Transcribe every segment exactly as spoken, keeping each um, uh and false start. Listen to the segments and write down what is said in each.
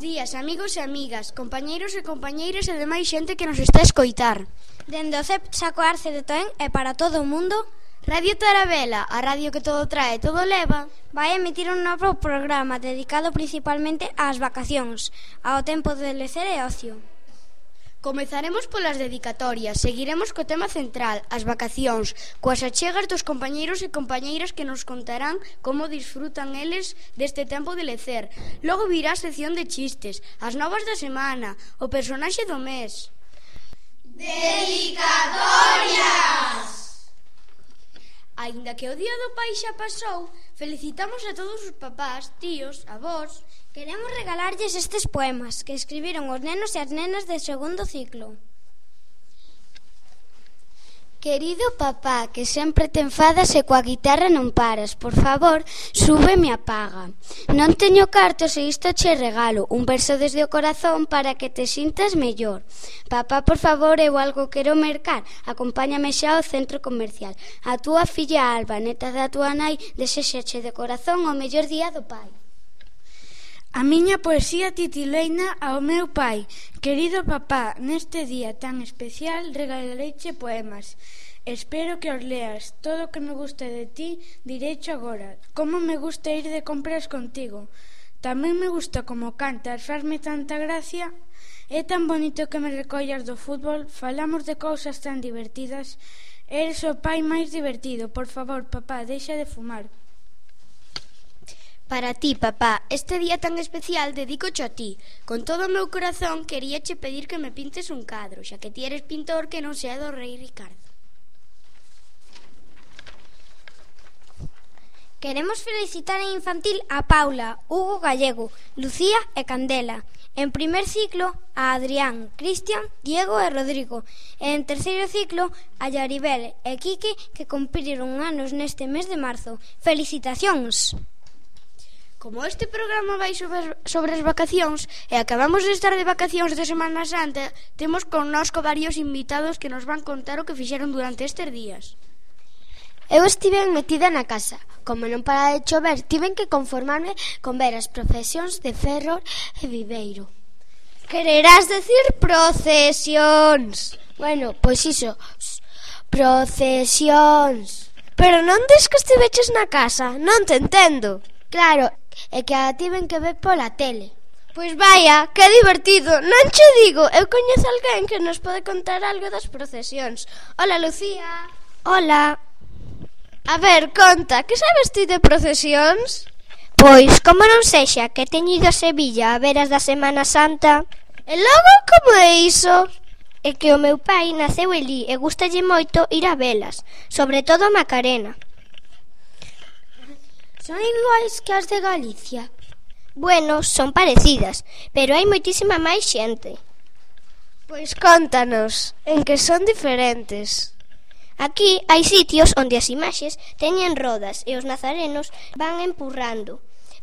días, amigos e amigas, compañeiros e compañeiras e demais xente que nos está a escoitar. Dende o C E P Saco Arce de Toén e para todo o mundo, Radio Tarabela, a radio que todo trae, todo leva, vai emitir un novo programa dedicado principalmente ás vacacións, ao tempo de lecer e ocio. Comezaremos polas dedicatorias, seguiremos co tema central, as vacacións, coas achegas dos compañeiros e compañeiras que nos contarán como disfrutan eles deste tempo de lecer. Logo virá a sección de chistes, as novas da semana, o personaxe do mes. Dedicatorias! Aínda que o Día do Pai xa pasou, felicitamos a todos os papás, tíos, avós. Queremos regalarlles estes poemas que escribiron os nenos e as nenas de segundo ciclo. Querido papá, que sempre te enfadas e coa guitarra non paras, por favor, súbeme a paga. Non teño cartos e isto che regalo, un verso desde o corazón para que te sintas mellor. Papá, por favor, eu algo quero mercar, acompáñame xa ao centro comercial. A túa filla Alba, neta da túa nai, desexache de corazón o mellor día do pai. A miña poesía tituleina ao meu pai. Querido papá, neste día tan especial regalareiche poemas. Espero que os leas. Todo o que me gusta de ti direicho agora. Como me gusta ir de compras contigo. Tamén me gusta como cantas, fasme tanta gracia. É tan bonito que me recollas do fútbol. Falamos de cousas tan divertidas. Eres o pai máis divertido. Por favor, papá, deixa de fumar. Para ti, papá, este día tan especial dedícocho a ti. Con todo o meu corazón queríache pedir que me pintes un cadro, xa que ti eres pintor que non sea do rei Ricardo. Queremos felicitar en infantil a Paula, Hugo Gallego, Lucía e Candela. En primer ciclo a Adrián, Cristian, Diego e Rodrigo. E en terceiro ciclo a Yaribel e Quique, que cumpriron anos neste mes de marzo. Felicitacións! Como este programa vai sobre, sobre as vacacións e acabamos de estar de vacacións de Semana Santa, temos connosco varios invitados que nos van contar o que fixeron durante estes días. Eu estive metida na casa. Como non para de chover, tiven que conformarme con ver as procesións de Ferrol e Viveiro. Quererás decir procesións? Bueno, pois iso, procesións. Pero non des que estiveches na casa, non te entendo. Claro, é que a tiven que ver pola tele. Pois vaya, que divertido. Non che digo, eu coñezo alguén que nos pode contar algo das procesións. Hola, Lucía. Hola. A ver, conta, que sabes ti de procesións? Pois, como non sexa que teño ido a Sevilla a ver as da Semana Santa. E logo, como é iso? É que o meu pai naceu elí e gustalle moito ir a velas, sobre todo a Macarena. Son iguais que as de Galicia? Bueno, son parecidas, pero hai moitísima máis xente. Pois contanos, en que son diferentes. Aquí hai sitios onde as imaxes teñen rodas e os nazarenos van empurrando.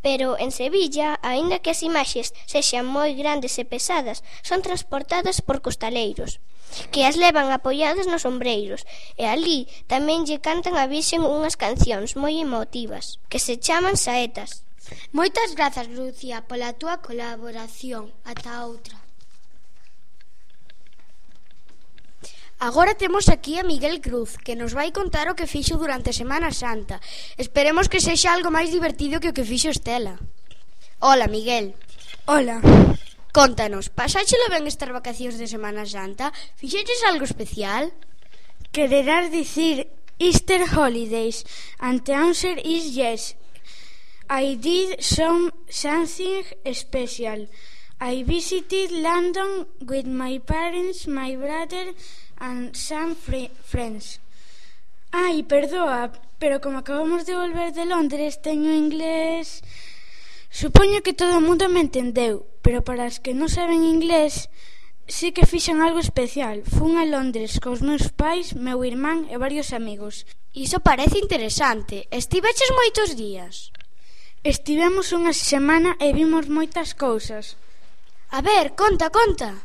Pero en Sevilla, aínda que as imaxes sexan moi grandes e pesadas, son transportadas por costaleiros, que as levan apoiadas nos ombreiros, e ali tamén lle cantan a Virxen unhas cancións moi emotivas, que se chaman saetas. Moitas grazas, Lucía, pola túa colaboración. Ata outra. Agora temos aquí a Miguel Cruz, que nos vai contar o que fixo durante Semana Santa. Esperemos que sexa algo máis divertido que o que fixo Estela. Hola, Miguel. Hola. Contanos, pasáchelo ben estas vacacións de Semana Santa? Fixeches algo especial? Quererás dicir Easter holidays, and the answer is yes. I did some something special. I visited London with my parents, my brother and some fr- friends. Ai, perdoa, pero como acabamos de volver de Londres, teño inglés... Supoño que todo o mundo me entendeu, pero para as que non saben inglés, sí que fixen algo especial. Fun a Londres cos meus pais, meu irmán e varios amigos. Iso parece interesante. Estiveches moitos días? Estivemos unha semana e vimos moitas cousas. A ver, conta, conta.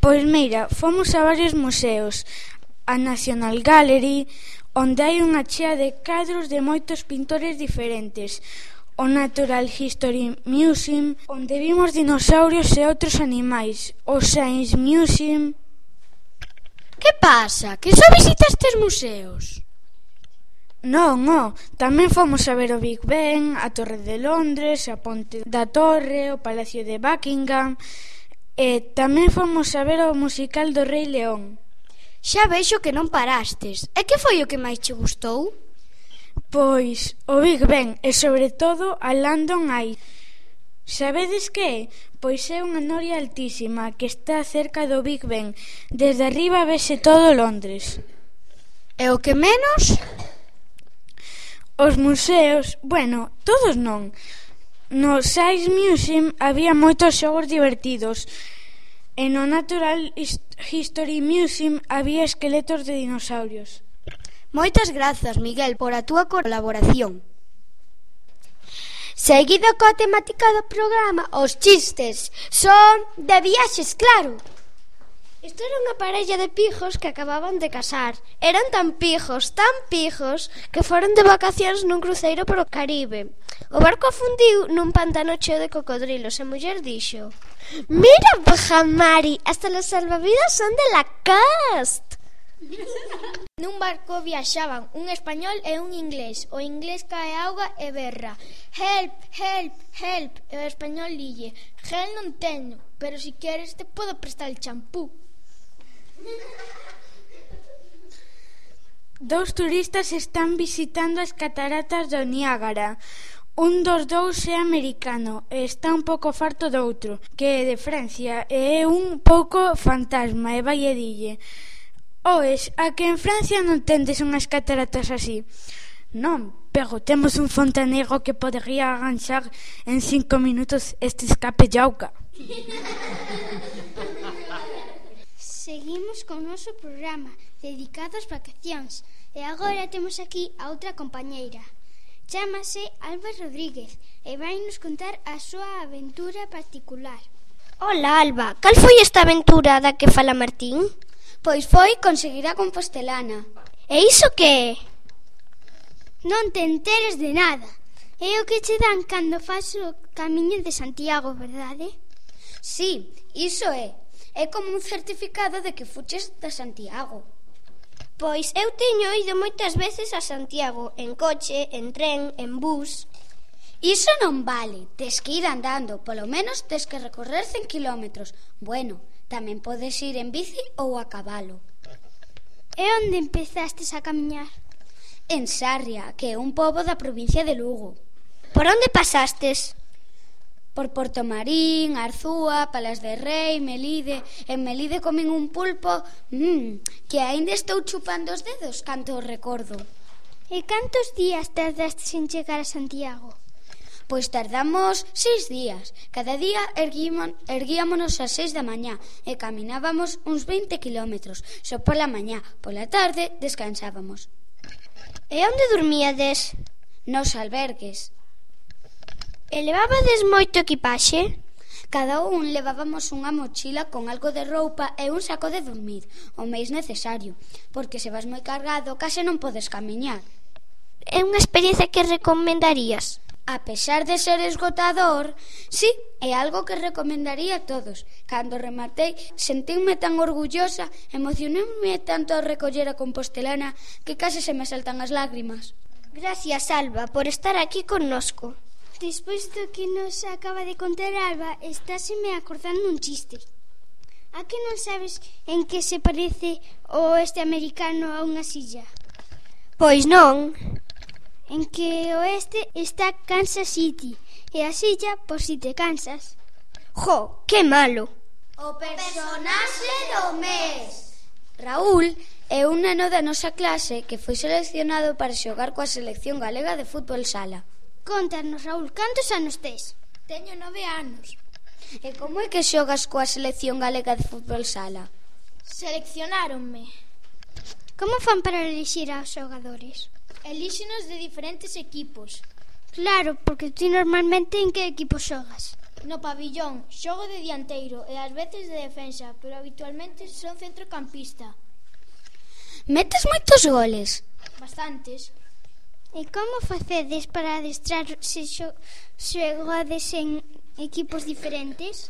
Pois mira, fomos a varios museos, a National Gallery, onde hai unha chea de cadros de moitos pintores diferentes. o Natural History Museum, onde vimos dinosaurios e outros animais, o Science Museum. Que pasa? Que só visitastes museos? Non, non, tamén fomos a ver o Big Ben, a Torre de Londres, a Ponte da Torre, o Palacio de Buckingham, e tamén fomos a ver o musical do Rei León. Xa vexo que non parastes. E que foi o que máis che gustou? Pois o Big Ben e sobre todo a London Eye. Sabedes que é? Pois é unha noria altísima que está cerca do Big Ben. Desde arriba vese todo Londres. E o que menos? Os museos, bueno, todos non. No Science Museum había moitos xogos divertidos. E no Natural History Museum había esqueletos de dinosaurios. Moitas grazas, Miguel, por a túa colaboración. Seguido coa temática do programa, os chistes son de viaxes, claro. Isto era unha parella de pijos que acababan de casar. Eran tan pijos, tan pijos, que foron de vacacións nun cruceiro por o Caribe. O barco afundiu nun pantano cheo de cocodrilos e a muller dixo: "Mira, Bajamari, hasta los salvavidas son de Lacoste." Nun barco viaxaban un español e un inglés. O inglés cae a auga e berra: "Help, help, help." E o español dille: "Gel non teño, pero si queres te podo prestar el champú." Dous turistas están visitando as cataratas do Niágara. Un dos dous é americano e está un pouco farto do outro, que é de Francia, e é un pouco fantasma, e vai e dille: "Oes, a que en Francia non tendes unhas cataratas así?" "Non, pero temos un fontaneiro que podería arranxar en cinco minutos este escape de auga." Seguimos con o noso programa dedicado ás vacacións e agora temos aquí a outra compañeira. Chámase Alba Rodríguez e vai nos contar a súa aventura particular. Hola, Alba, cal foi esta aventura da que fala Martín? Pois foi conseguir a Compostelana. E iso que é? Non te enteres de nada. É o que che dan cando faz o camiño de Santiago, verdade? Sí, iso é. É como un certificado de que fuches de Santiago. Pois eu teño ido moitas veces a Santiago, en coche, en tren, en bus. Iso non vale, tes que ir andando, polo menos tes que recorrer cen kilómetros. Bueno, tamén podes ir en bici ou a cabalo. E onde empezastes a camiñar? En Sarria, que é un pobo da provincia de Lugo. Por onde pasastes? Por Portomarín, Arzúa, Palas de Rei, Melide. En Melide comen un pulpo mmm, que aínda estou chupando os dedos canto o recordo. E cantos días tardaste en chegar a Santiago? Pois tardamos seis días. Cada día erguímon, erguíamonos ás seis da mañá e caminábamos uns veinte kilómetros. Só pola mañá, pola tarde descansábamos. E onde dormíades? Nos albergues. E levabades moito equipaxe? Cada un levábamos unha mochila con algo de roupa e un saco de dormir, o máis necesario, porque se vas moi cargado case non podes camiñar. É unha experiencia que recomendarías? A pesar de ser esgotador, sí, é algo que recomendaría a todos. Cando rematei, sentinme tan orgullosa, emocionoume tanto ao recoller a Compostelana que case se me saltan as lágrimas. Gracias, Alba, por estar aquí connosco. Despois do que nos acaba de contar Alba, estáseme acordando un chiste. A que non sabes en que se parece o oeste americano a unha silla? Pois non. En que o oeste está Kansas City e a silla por si te cansas. Jo, que malo. O personaxe do mes. Raúl é un neno da nosa clase que foi seleccionado para xogar coa selección galega de fútbol sala. Contanos, Raúl, cantos anos tes? Teño nove anos. E como é que xogas coa selección galega de fútbol sala? Seleccionáronme. Como fan para elixir aos xogadores? Elíxenos de diferentes equipos. Claro, porque ti normalmente en que equipo xogas? No pabillón, xogo de dianteiro e ás veces de defensa, pero habitualmente son centrocampista. Metes moitos goles? Bastantes. E como facedes para adestrar se xogades en equipos diferentes?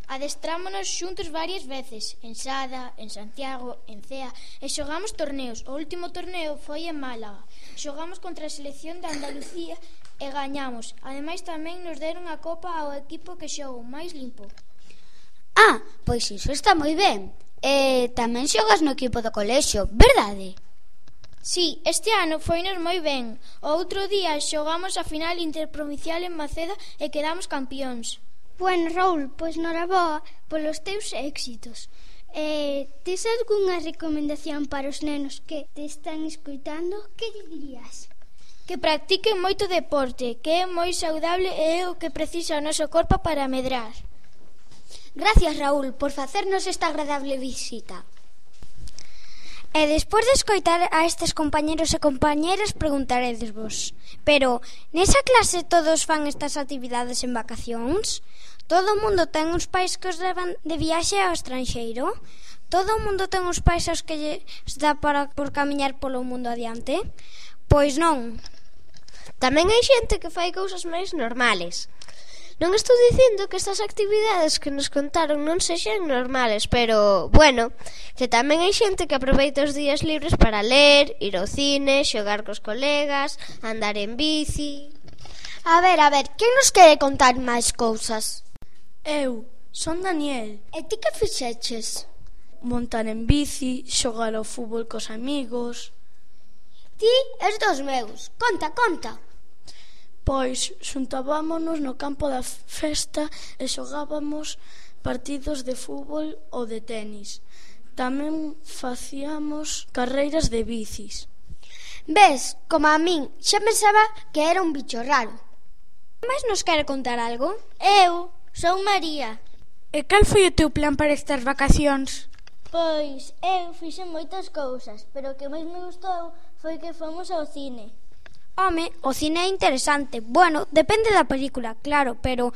Adestrámonos xuntos varias veces, en Sada, en Santiago, en Cea, e xogamos torneos. O último torneo foi en Málaga. Xogamos contra a selección de Andalucía e gañamos. Ademais, tamén nos deron a copa ao equipo que xogou máis limpo. Ah, pois iso está moi ben. E tamén xogas no equipo do colexio, verdade? Sí, este ano foinos moi ben. O outro día xogamos a final interprovincial en Maceda e quedamos campións. Bueno, Raúl, pois noraboa polos teus éxitos. Eh, tes algunha recomendación para os nenos que te están escoitando? Que lle dirías? Que practiquen moito deporte, que é moi saudable e é o que precisa o noso corpo para medrar. Gracias, Raúl, por facernos esta agradable visita. E despois de escoitar a estes compañeros e compañeras, preguntaredesvos: pero nesa clase todos fan estas actividades en vacacións? Todo o mundo ten uns pais que os levan de viaxe ao estranxeiro? Todo o mundo ten uns pais aos que lles dá para por camiñar polo mundo adiante? Pois non. Tamén hai xente que fai cousas máis normales. Non estou dicindo que estas actividades que nos contaron non sexan normales, pero, bueno, que tamén hai xente que aproveita os días libres para ler, ir ao cine, xogar cos colegas, andar en bici... A ver, a ver, quen nos quere contar máis cousas? Eu, son Daniel. E ti que fixeches? Montar en bici, xogar ao fútbol cos amigos. Ti és dos meus. Conta, conta. Pois xuntábámonos no campo da festa e xogábamos partidos de fútbol ou de tenis. Tamén facíamos carreiras de bicis. Ves, como a min, xa pensaba que era un bicho raro. Mais nos quere contar algo? Eu son María. E cal foi o teu plan para estas vacacións? Pois eu fixen moitas cousas, pero o que máis me gustou foi que fomos ao cine. Home, o cine é interesante. Bueno, depende da película, claro, pero...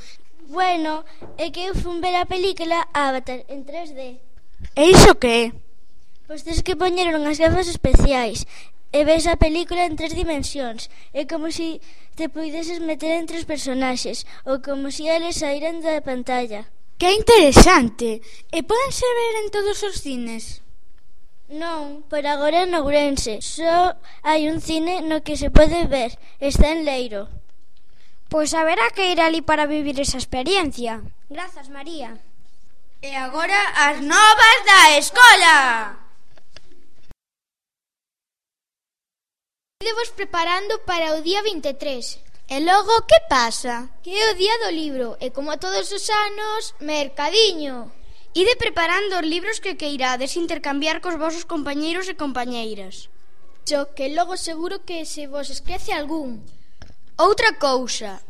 Bueno, é que eu fun ver a película Avatar en tres D. E iso que é? Pois tens que poñer unhas gafas especiais e ves a película en tres dimensións. É como se te puideses meter entre os personaxes ou como se eles saíran da pantalla. Que interesante! E pódense ver en todos os cines? Non, por agora en Ourense. Só hai un cine no que se pode ver. Está en Leiro. Pois haberá que ir ali para vivir esa experiencia. Grazas, María. E agora as novas da escola. Idevos preparando para o día vinte e tres. E logo, que pasa? Que é o día do libro. E como a todos os anos, mercadiño. Ide preparando os libros que queirades intercambiar cos vosos compañeiros e compañeiras. Xo que logo seguro que se vos esquece algún. Outra cousa,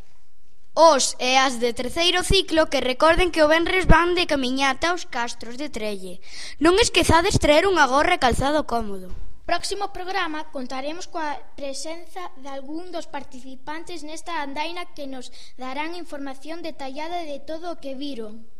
os e as de terceiro ciclo que recorden que o venres van de camiñata aos castros de Trelle. Non esquezades traer unha gorra e calzado cómodo. Próximo programa contaremos coa presenza de algún dos participantes nesta andaina que nos darán información detallada de todo o que viron.